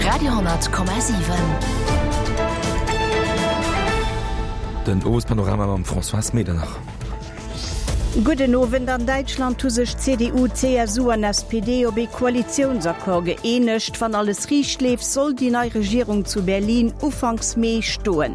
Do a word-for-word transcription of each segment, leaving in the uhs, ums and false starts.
Radio honnert Komma siwen. Den Owespanorama mam Françoise Medernach. Gudden Owend, An Däitschland hu sech C D U, C S U an S P D op ee Koalitiounsaccord gëeenegt. Wann alles riicht leeft, soll déi nei Regierung zu Berlin ufanks Mee stoen.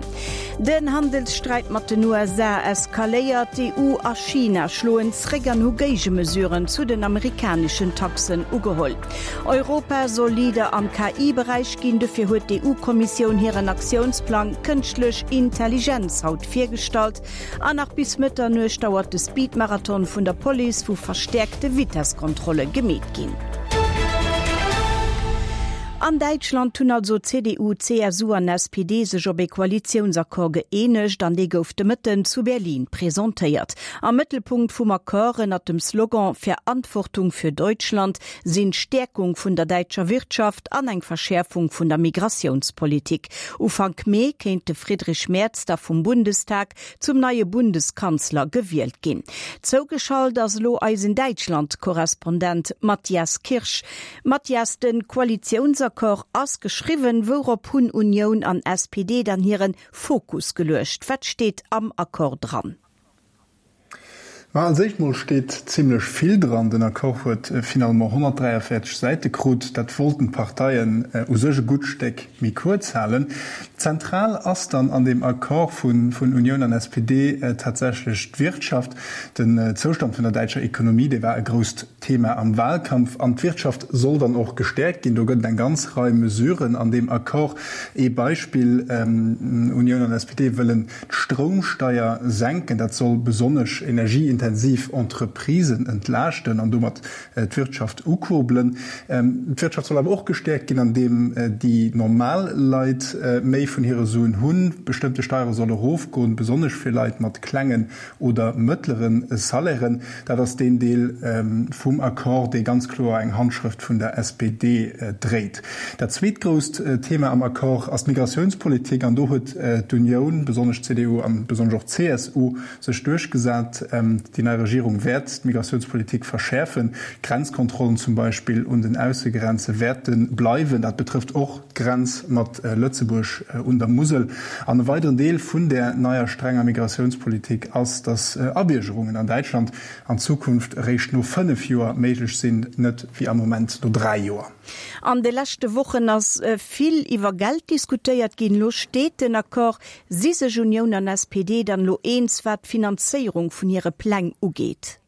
Den Handelssträit mat den U S A eskaléiert, d'E U a China schloen zréck an hu Géigemesuren zu den amerikaneschen Taxen ugeholl. Europa soll Leader am K I-Beräich ginn, dofir huet d'E U-Kommissioun hiren Aktiounsplang Kënschtlech Intelligenz haut virgestallt. An nach bis Mëtternuecht dauert de Speed-Marathon vun der Police, wou verstäerkte Vitesskontrolle gemeet ginn. An Däitschland hunn also C D U, C S U an S P D sech op ee Koalitiounsaccord gëeenegt an dee gouf de Mëtten zu Berlin presentéiert. Am Mëttelpunkt vum Accord ënnert dem Slogan Verantwortung für Deutschland sinn d'Stäerkung vun der däitscher Wirtschaft an eng Verschäerfung vun der Migratiounspolitik. Ufank Mee kéint de Friedrich Merz da vum Bundestag zum neie Bundeskanzler gewielt ginn. Zougeschalt ass elo eisen Däitschland-Korrespondent Matthias Kirsch. Matthias, den Koalitiounsaccord ass geschriwwen, wourop hunn Unioun an S P D dann hiren Fokus geluecht? Wat steet am Accord dran? Ma als éischt mol steet zimlech vill dran. Den Accord huet finalement honnertdräiavéierzeg Säite krut. Dat wollten d'Parteien u sech e gutt Stéck méi kuerz halen. Zentral ass dann an deem Accord vun vun Unioun an S P D tatsächlech d'Wirtschaft. Den Zoustand vun der däitscher Ekonomie, dee war e grousst Thema am Wahlkampf an d'Wirtschaft soll dann och gestäerkt ginn. Do gëtt et eng ganz Rei Mesuren an deem Accord. Ee Beispill, Unioun an S P D wëllen d'Stroumsteier senken. Dat soll besonnesch energieintensiv Entreprisen entlaaschten an domat d'Wirtschaft ukurbelen. D'Wirtschaft soll awer och gestäerkt ginn, andeem déi normal Leit méi vun hire Suen hunn. Bestëmmte Steiere solle erofgoen, besonnesch fir Leit mat klengen oder mëttlere Salairen. Dat ass deen Deel vum Accord, dee ganz kloer eng Handschrëft vun der S P D dréit. Dat zweet grousst Thema am Accord ass d'Migratiounspolitik an do huet d'Unioun, besonnesch d'C D U an besonnesch och d'C S U, sech duerchgesat. Déi nei Regierung wäert d'Migratiounspolitik verschäerfen. Grenzkontrollen zum Beispill un den Aussegrenze wäerte bleiwen. Dat betrëfft och d'Grenz mat Lëtzebuerg un der Musel. An e weideren Deel vun där neier strenger Migratiounspolitik ass, datt Abiergerungen an Däitschland an Zukunft eréischt no fënnef Joer méiglech sinn, net wéi am Moment no dräi Joer. An de leschte Wochen ass vill iwwer Geld diskutéiert ginn. Lo steet den Accord. Si sech Unioun an S P D dann lo eens, wat d'Finanzéierung vun hire Pläng ugeet?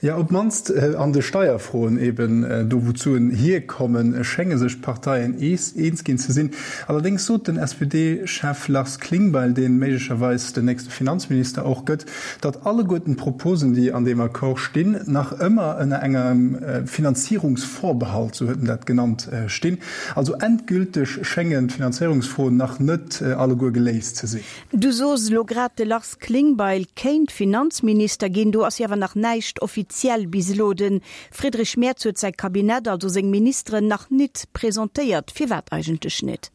Ja, op d'mannst an de Steierfroen, eben do wou d'Suen hierkommen, schénge sech d'Parteien eens ginn ze sinn. Allerdéngs sot den S P D-Chef Lars Klingbeil, dee méiglecherweis den nächste Finanzminister och gëtt, datt alleguerten d'Proposen, déi an deem Accord stinn, nach ëmmer ënner engem Finanzierungsvorbehalt, sou huet en dat genannt, stinn. Also endgülteg schéngen d'Finanzéierungsfroen nach net alleguer geléist ze sinn. Du sos elo grad, de Lars Klingbeil kéint Finanzminister ginn. Do ass jo awer nach näischt offiziell bis elo. De Friedrich Merz huet säi Kabinett, also seng Ministeren, nach nit presentéiert. Firwat eigentlech net?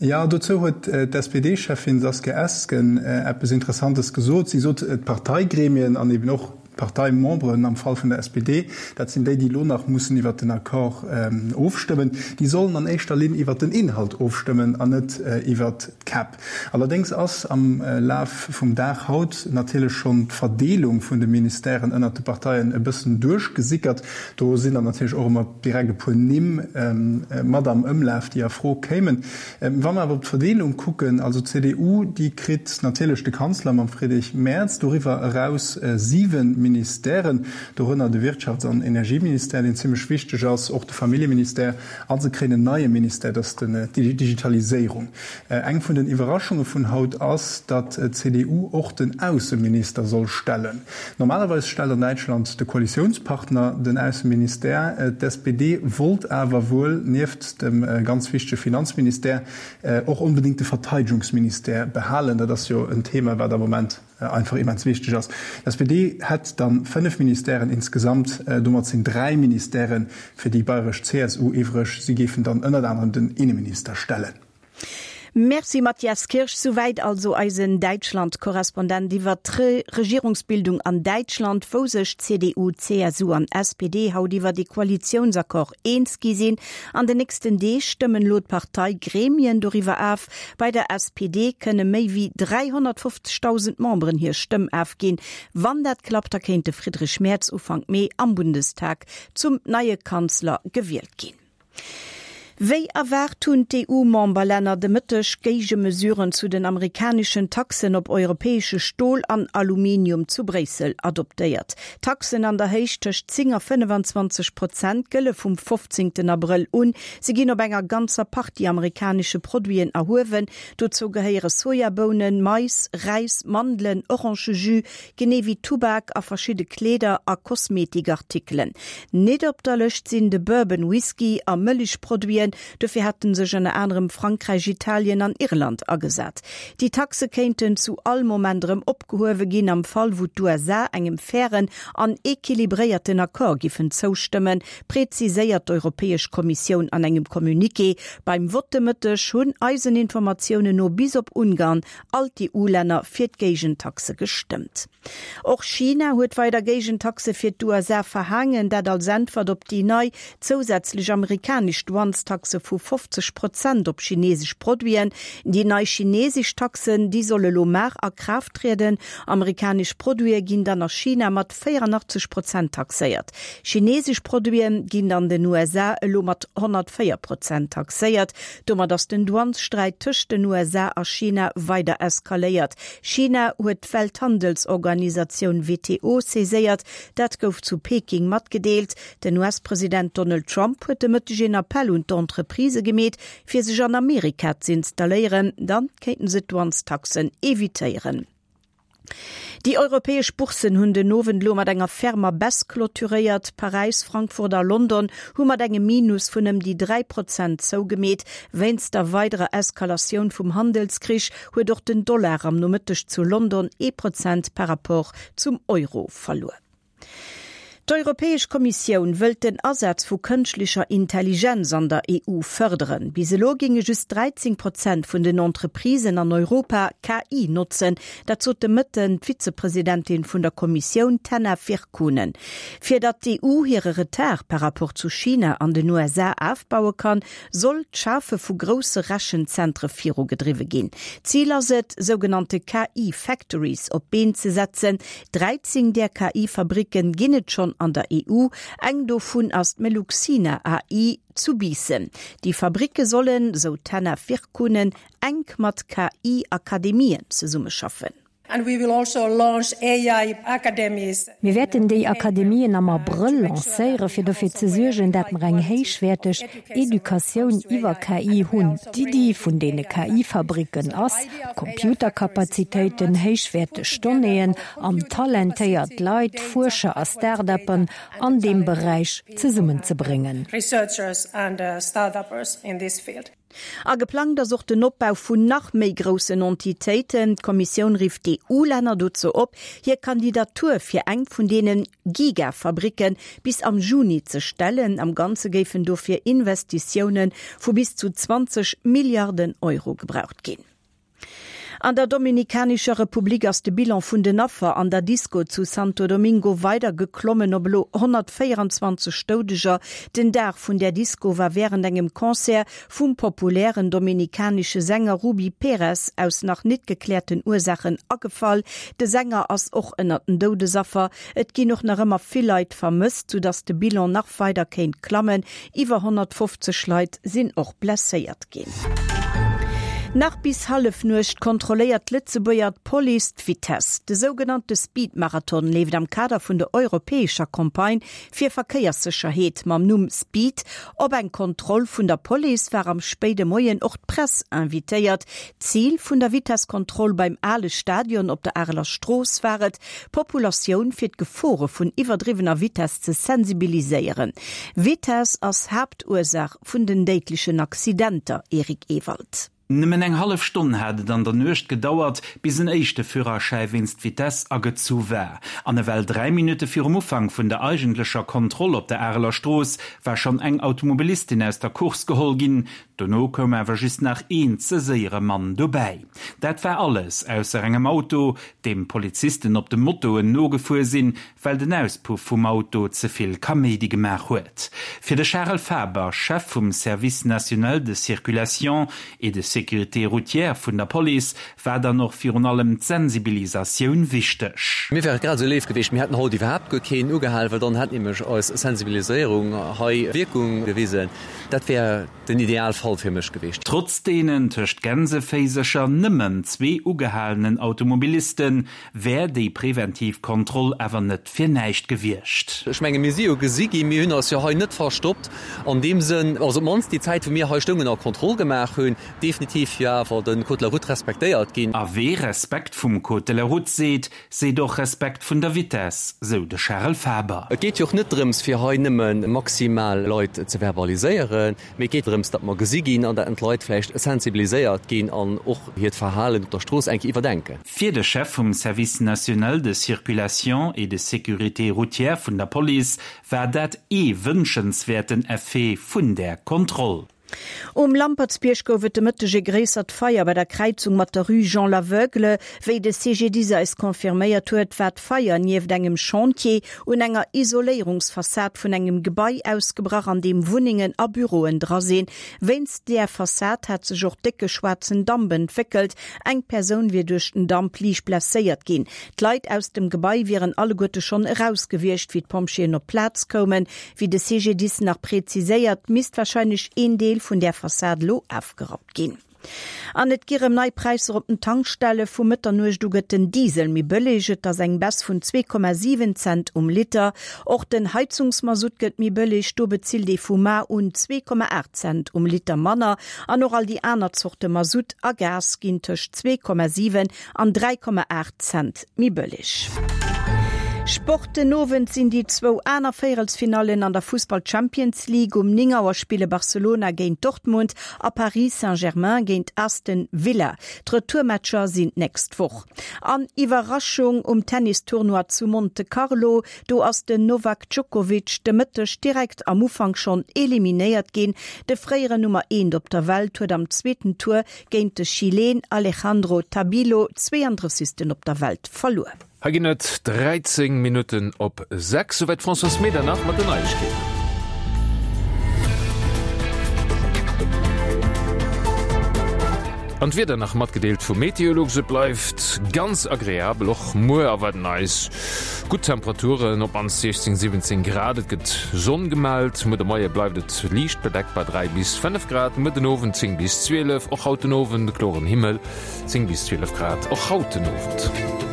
Jo, dozou huet d'S P D-Cheffin Saskia Esken eppes Interessantes gesot. Si sot, d'Parteigremien an eben och d'Parteimemberen am Fall vun der S P D, dat sinn déi, déi elo nach mussen iwwert den Accord ofstëmmen, déi sollen an éischter Linn iwwert den Inhalt ofstëmmen an net iwwert d'Käpp. Allerdéngs ass am Laf vum Dag haut natierlech schonn d'Verdeelung vun de Ministèren ënnert de Parteien e bëssen duerchgesickert. Do sinn dann natierlech och ëmmer direkt e puer Nimm mat am Ëmlaf, déi a Fro kéimen. Wa mer awer op d'Verdeelung kucken, also d'C D U, déi kritt natierlech de Kanzler mam Friedrich Merz, doriwwer eraus siwe Ministèren, dorënner de Wirtschafts an Energieministère, deen zimlech wichteg ass, och de Familljeministère, a se kréien en neie Ministère, dat ass den d'Digitaliséierung. Eng vun den Iwwerraschunge vun haut ass, datt d'C D U och den Ausseminister soll stellen. Normalerweis stellt an Däitschland de Koalitiounspartner den Ausseministère. D'S P D wollt awer wuel nieft dem ganz wichtege Finanzministère och onbedéngt de Verteidegungsministère behalen. Dat ass jo en Thema, wat am Moment einfach immens wichteg ass. D'S P D hätt dann fënnef Ministèren insgesamt, domat sinn dräi Ministèrë fir déi bayresch C S U iwwreg. Si géifen dann ënnert anerem den Inneminister stellen. Merci Matthias Kirsch, souwäit also eisen Däitschland-Korrespondent iwwer d'Regierungsbildung an Däitschland, wou sech CDU, CSU an SPD haut iwwer de Koalitiounsaccord eens gi sinn. An den nächsten Deeg stëmmen elo d'Parteigremien doriwwer of. Bei der SPD kënne méi wéi dräihonnertfofzegdausend Memberen hir Stëmm ofginn. Wann dat klappt, da kéint de Friedrich Merz Ufank Mee am Bundestag zum neie Kanzler gewielt ginn. Wéi erwaart hunn d'EU-Memberlänner de Mëtteg Géigemesuren zu den amerikaneschen Taxen op europäesche Stol an Aluminium zu Bréissel adoptéiert. Taxen an der Héicht tëscht zéng a fënnefenzwanzeg Prozent gëlle vum fofzéngten Abrëll un. Si ginn op enger ganzer Partie amerikanesche Produiten erhuewen. Dozou gehéiere Sojabounen, Mais, Räis, Mandelen, Orangejus, genee wéi Tubak a verschidde Kleeder a Kosmetikartikelen. Net op der Lëscht sinn de Bourbon Whisky a Mëllechproduiten, dofir hate sech ënner anerem Frankräich, Italien an Irland agesat. Déi Taxe kéinten zu all Moment erëm opgehuewe ginn, am Fall wou d'USA engem fairen an equilibréierten Accord giffen zoustëmmen, präziséiert d'Europäesch Kommissioun an engem Communiqué. Beim Vott de Mëtteg hunn eisen Informatiounen no bis op Ungarn all d'EU-Länner fir d'Géigentaxe gestëmmt. Och China huet weider Géigentaxe fir d'USA verhaangen, dat als Äntwert op déi nei zousätzlech amerikanesch Douanestaxe vu fofzeg Prozent op chinesesch Produiten. Déi nei chinesesch Taxen, déi solle lo mar a Kraaft trieden. Amerikanesch Produite ginn dann a China mat véierandachtzeg Prozent taxéiert. Chinesesch Produite ginn an den U S A elo mat honnertvéier Prozent taxéiert. Domat ass den Douanessträit tëscht den U S A a China weider eskaléiert. China huet d'Welthandelsorganisatioun W T O saiséiert, dat gouf zu Peking matgedeelt. Den U S-President Donald Trump huet de Mëtteg een Appell un d'Entreprisë gemeet, fir sech an Amerika z'installéieren, dann kéinten se d'Douanestaxen evitéieren. Déi europäesch Bourssen hunn den Owend lo mat enger fermer Baisse clôturéiert. Paräis, Frankfurt a London hu mat engem Minus vun ëm déi dräi Prozent zougemeet. Wéinst der weiderer Eskalatioun vum Handelskrich huet och den Dollar am Nomëtteg zu London ee Prozent par rapport zum Euro verluer. D'Europäesch Kommissioun wëllt den Asaz vu kënschtlecher Intelligenz an der E U fërderen. Bis elo géinge just dräizéng Prozent vun den Entreprisen an Europa K I notzen, dat sot de Mëtten d'Vizepresidentin vun der Kommissioun Henna Virkkunen. Fir datt d'E U hire Retard par rapport zu China an den U S A ofbaue kann, soll d'Schafe vu grousse Rechenzentre virugedriwwe ginn. Zil ass et, sougenannte K I-Factories op d'Been ze setzen. dräizéng där K I-Fabricken ginn et schonn an der E U, eng dovun ass d'Meluxina A I zu Biissen. Déi Fabricke sollen, sou d'Henna Virkkunen, enk mat K I-Akademien zesummeschaffen. Also Mir wäerten déi Akademien am Abrëll lancéiere fir dofir ze suergen, dat mer eng héichwäerteg Educatioun iwwer K I hunn. D'Iddi vun deene K I-Fabricken ass, Computerkapazitéiten, héichwäerteg Donnéeën an talentéiert Leit, Fuerscher a Start-uppen an deem Beräich zesummenzebréngen. Researchers and uh, start-uppers in this field. A geplangt ass och den Opbau vun nach méi groussen Entitéiten. D'Kommissioun rifft d'E U-Länner dozou op, hir Kandidatur fir eng vun deene Gigafabricken bis am Juni ze stellen. Am Ganze géifen dofir Investitioune vu bis zu zwanzeg Milliarden Euro gebraucht ginn. An der Dominikanescher Republik ass de Bilan vun den Affer an der Disco zu Santo Domingo weider geklommen op elo honnertvéierenzwanzeg Doudeger. Den Dag vun der Disco war wärend engem Concert vum populären dominikanesche Sänger Rubí Pérez aus nach net gekläerten Ursaachen agefall. De Sänger ass och ënnert den Doudesaffer. Et ginn och nach ëmmer vill Leit vermësst, soudass de Bilan nach weider kéint klammen. Iwwer honnertfofzeg Leit sinn och blesséiert ginn. Nach bis Hallefnuecht kontrolléiert d'Lëtzebuerger Police d'Vitess. De sougenannte Speed-Marathon leeft am Kader vun der europäescher Campagne fir Verkéierssécherheet mam Numm Speed. Op eng Kontroll vun der Police war am spéide Moien och d'Press invitéiert. Zil vun der Vitesskontroll beim ale Stadion op der Areler Strooss war et, d'Populatioun fir d'Gefore vun iwwerdriwwener Vitess ze sensibiliséieren. Vitess ass Haaptursaach vun den déidlechen Accidenter, Eric Ewald. Nëmmen eng hallef Stonn hat et an der Nuecht gedauert, bis en éischte Führerschäi wéinst Vitess agezu war. An ewell dräi Minutte virum Ufank vun der eigentlecher Kontroll op der Areler Strooss war schonn eng Automobilistin aus der Course geholl ginn. Dono koum awer just nach een ze séiere Mann dobäi. Dat war alles, ausser engem Auto, deem Polizisten op de Motoen nogefuer sinn, well den Auspuff vum Auto ze vill Kaméidi gemaach huet. Fir de Charel Faber, Chef vum Service national de circulation et de sécurité routière vun der Police, war dann och virun allem d'Sensibilisatioun wichteg. Mir wär et grad esou léif gewiescht, mir hätten haut iwwerhaapt guer keen ugehal, well dann hätt nämlech eis Sensibiliséierung hei Wierkung gewisen. Dat wär den Idealfall fir mech gewiescht. Trotz deenen tëscht Gänseféisercher nëmmen zwee ugehalenen Automobilisten, wär déi preventiv Kontroll awer net fir näischt gewiescht. Ech menge mir si jo gesi ginn, mir hunn eis jo hei net verstoppt an deem Sënn, also op d'mannst déi Zäit wou mir hei stoungen a Kontroll gemaach hunn, definitiv jo awer de Code de la route respektéiert ginn. A wee Respekt vum Code de la route seet, seet och Respekt vun der Vitess, sou de Charel Faber. Et geet jo och net drëms fir hei nëmme maximal Leit ze verbaliséieren, mee et geet drëms, datt mer gesi ginn an datt d'Leit vläicht sensibiliséiert ginn an och hiert Verhalen op der Strooss eng Kéier iwwerdenken. Fir de Chef vum Service national de circulation et de sécurité routière vun der Police war dat ee wënschenswäerten Effet vun där Kontroll. Um Lampertsbierg gouf et de Mëtteg e gréissert Feier bei der Kräizung mat der Rue Jean Laveugle. Wéi de CGDIS eis confirméiert huet, war d'Feier nieft engem Chantier un enger Isoléierungsfassad vun engem Gebai ausgebrach, an deem Wunnengen a Büroen dra sinn. Wéinst där Fassad hat sech och décke schwaarzen Damp entwéckelt. Eng Persoun wier duerch den Damp liicht blesséiert ginn. D'Leit aus dem Gebai wieren alleguerte schonn eraus gewiescht, wéi d'Pompjeeën op d'Plaz koumen. Wéi de CGDIS nach präziséiert, misst warscheinlech een Deel vun där Fassad elo ofgerappt ginn. An et gi rëm nei Präisser op den Tankstelle, Vu Mëtternuecht u gëtt den Diesel méi bëlleg, et ass eng Baisse vun zwee Komma siwen Cent um Liter. Och den Heizungsmasutt gëtt méi bëlleg, do bezilt ee vu mar un zwee Komma aacht Cent um Liter manner. An och all déi aner Zorte Masutt a Gas ginn tëscht zwee Komma siwen an dräi Komma aacht Cent méi bëlleg. Sport, Den Owend sinn déi zwou aner Véierelsfinallen an der Fussball-Champions League. Um néng Auer spille Barcelona géint Dortmund a Paris Saint-Germain géint Aston Villa. D'Retourmatcher sinn d'nächst Woch. An Iwwerraschung um Tennis-Tournoi zu Monte Carlo, Do ass den Novak Djokovic de Mëtteg direkt am Ufank schonn eliminéiert ginn. De fréieren Nummer eent op der Welt huet am zweeten Tour géint de Chileen Alejandro Tabilo, zweeëndrëssegsten op der Welt, verluer. Hei ginn et dräizéng Minutten op sechs. Souwäit d'Françoise Medernach mat den Neiegkeeten. An d'Wieder nach matgedeelt vu Meteolux, Et bleift ganz agreabel, och muer erwaarden eis gutt Temperaturen, op mannst siechzéng, siwwenzéng Grad. Et gëtt Sonn gemellt. Muer de Moie bleift et liicht bedeckt bei dräi bis fënnef Grad, muer den Owend zéng bis zwielef. Och haut den Owend kloren Himmel, zéng bis zwielef Grad och haut den Owend.